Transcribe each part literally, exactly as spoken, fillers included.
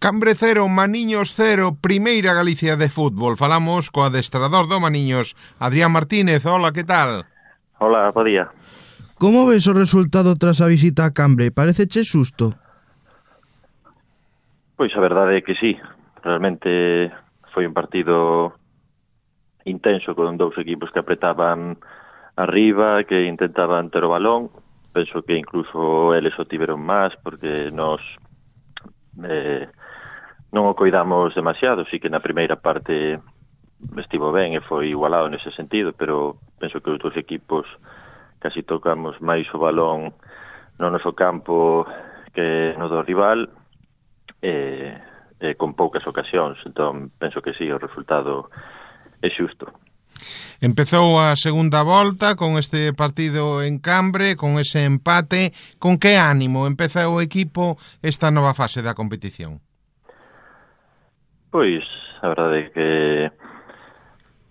Cambre cero, Maniños cero, primeira Galicia de fútbol. Falamos co adestrador do Maniños, Adrián Martínez. Hola, que tal? Hola, bo día. Como ves o resultado tras a visita a Cambre? Pareceche xusto? Pois a verdade é que sí. Realmente foi un partido intenso con dous equipos que apretaban arriba, que intentaban ter o balón. Penso que incluso eles o tiveron máis porque nos eh, non o coidamos demasiado. Sí que na primeira parte estivo ben e foi igualado nese sentido, pero penso que os dous equipos casi tocamos máis o balón no noso campo que no do rival e, e con poucas ocasións. Entón penso que sí, o resultado é xusto. Empezou a segunda volta con este partido en Cambre, con ese empate. Con que ánimo empeza o equipo esta nova fase da competición? Pois, a verdade é que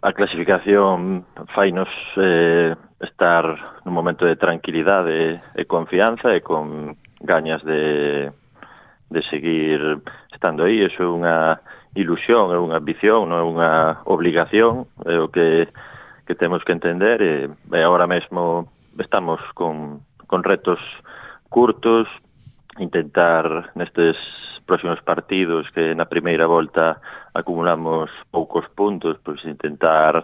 a clasificación fainos eh, estar nun momento de tranquilidade e confianza e con gañas de, de seguir estando aí. Eso é unha ilusión, é unha ambición, non é unha obligación, é o que, que temos que entender e, e agora mesmo estamos con, con retos curtos, intentar nestes próximos partidos que na primeira volta acumulamos poucos puntos, pois intentar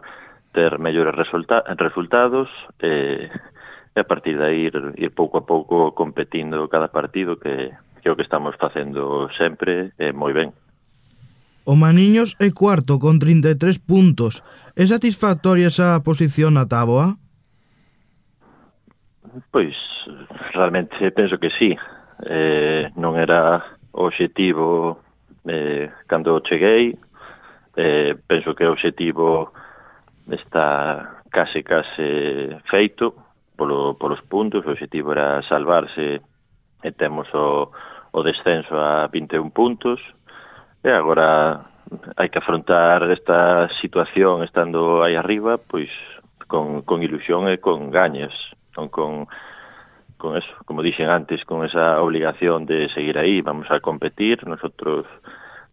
ter mellores resulta- resultados e, e a partir de aí ir, ir pouco a pouco competindo cada partido que, que é o que estamos facendo sempre e moi ben. O Maniños é cuarto con trinta e tres puntos. É satisfactoria esa posición na táboa? Pois, realmente penso que sí. Eh, non era o obxectivo eh, cando cheguei. Eh, penso que o obxectivo está case, case feito polo, polos puntos. O obxectivo era salvarse e temos o, o descenso a vinte e un puntos. E agora hai que afrontar esta situación estando aí arriba, pois con, con ilusión e con gañas, non con, con eso, como dixen antes, con esa obligación de seguir aí. Vamos a competir, nosotros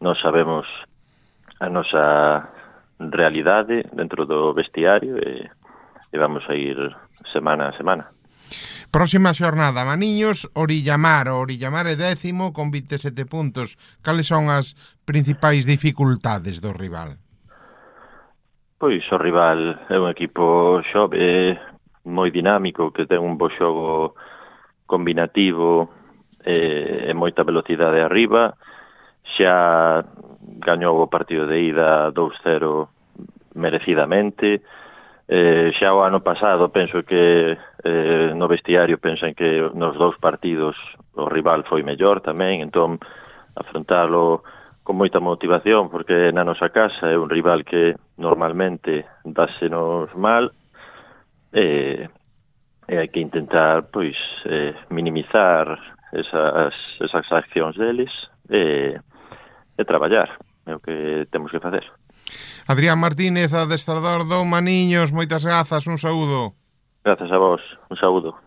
non sabemos a nosa realidade dentro do vestiario e, e vamos a ir semana a semana. Próxima xornada, Maniños, Orillamar. O Orillamar é décimo con vinte e sete puntos. Cales son as principais dificultades do rival? Pois o rival é un equipo xove, moi dinámico, que ten un bo xogo combinativo e, e moita velocidade arriba. Xa gañou o partido de ida dous cero merecidamente. Eh, xa o ano pasado penso que eh, no vestiario pensan que nos dous partidos o rival foi mellor tamén, entón afrontalo con moita motivación porque na nosa casa é un rival que normalmente dásenos mal e, e hai que intentar pois eh, minimizar esas, esas accións deles e, e traballar, é o que temos que facer. Adrián Martínez, adestrador do Maniños, moitas grazas, un saúdo. Grazas a vos, un saúdo.